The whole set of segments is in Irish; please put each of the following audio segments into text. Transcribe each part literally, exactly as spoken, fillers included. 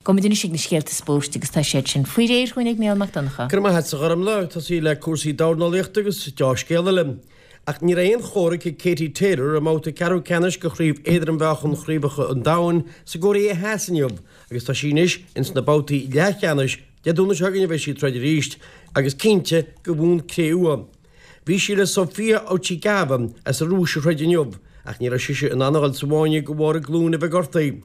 Gabhfaidh muid anois ag na scéalta spóirt agus tá siad sin faoi réir chugainn ag Mícheál Mac Donncha. Go raibh maith agat a Ghormfhlaith, tosaí le cúrsaí dornálaíochta agus deá-scéal eile. Ach ní raibh aon chomhrac ag Katie Taylor i mbabhta ceathrú ceannais de chraobh éadrom-mheáchan chraobhacha an domhain sa gCóiré Theas inniu agus tá sí anois ins na babhtaí leathcheannais Dé Domhnaigh seo chugainn a bheidh sí ag troid arís agus cinnte do bhonn cré-umha. Bhí sí le Sofia Ochigava as an Rúis a throid inniu ach ní raibh sise in ann a dhul sa bhfáinne de bharr a glúin a bheith gortaithe.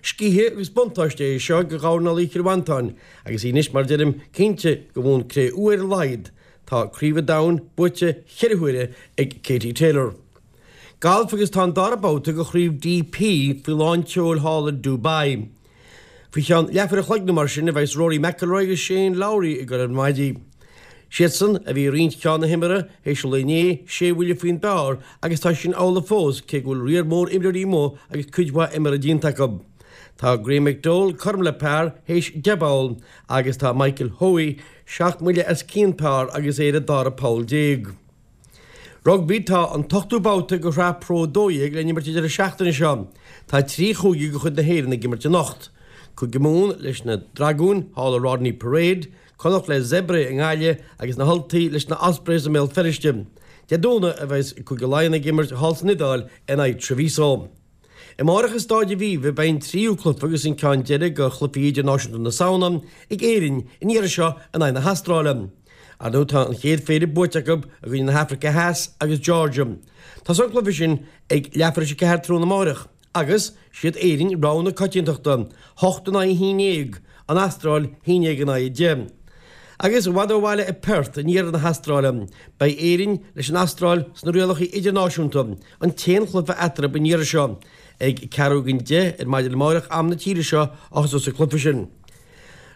Scíth agus buntáiste é seo do dhornálaí Chill Mhantáin agus í anois mar deirim cinnte do bhonn cré-umha ar a laghad. Tá Craobh an Domhain buaite cheithre huaire ag Katie Taylor. Galf agus tá an dara babhta de chraobh DP faoi lán tseoil thall i Dubai. Faoi cheann leathuair a chloig nó mar sin a bheas Rory McIlroy agus Shane Lowry ag dul ar maidí. Siadsan a bhí i roinnt cheann na himeartha théis an lae inné, sé bhuille faoin bpar agus tá sin amhlaidh fós cé go bhfuil riar mór imreoirí amuigh agus cuid mhaith imeartha déanta acu. Tá Graham McDowell cothrom le par théis deich bpoll agus tá Michael Hoey seacht mbuille as cionn par agus é ar an dara poll déag. Rugbaí Tá an t-ochtú babhta de shraith Pro dó dhéag le n-imirt an deireadh seachtaine seo. Tá trí chúige de chuid na hÉireann ag imirt anocht. Cúige Mumhan leis na Dragúin thall i Rodney Parade, Connacht le Zebre i nGaillimh agus na hUltaigh leis na Ospreys i mBéal Feirste. Dé Domhnaigh a bheas Cúige Laighean ag imirt thall san Iodáil in aghaidh Treviso. Amárach i Stáid Aviva beidh an tríú cluiche agus an ceann deiridh de chluichí idirnáisiúnta na Samhna ag Éirinn, an iarraidh seo in aghaidh na hAstráile. Ar ndóigh tá an chéad phéire buaite acu i gcoinne na hAfraice Theas agus Georgia. Tosóidh an cluiche sin ag leathuair tar éis a ceathair tráthnóna amárach agus siad Éirinn rogha na coitiantachta, hocht in aghaidh a haon déag, an Astráil haon déag in aghaidh a deich. Agus i bhfad ó bhaile i Perth, in iarthar na hAstráile, beidh Éirinn leis an Astráil sna rialacha idirnáisiúnta, an t-aon chluiche eatarthu an iarraidh seo, ag ceathrú don deich ar maidin amárach am na tíre seo a thosós an cluiche sin.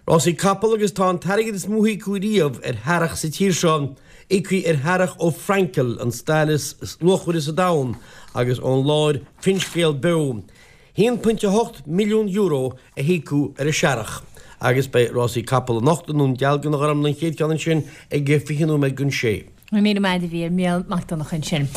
Rásaí capall agus tá an t-airgead is mó a híocadh riamh ar shearrach sa tír seo íoctha ar shearrach ó Frankel, an stail is luachmhaire sa domhan, agus ón láir Finscéal Beo. haon pointe a hocht milliún euro a híocadh ar an searrach agus beidh rásaí capall anocht i nDún Dealgan a Ghormfhlaith an chéad cheann ansin ag fiche nóiméad don sé. Míle maith a bhí ar Mhícheál Mac Donncha ansin.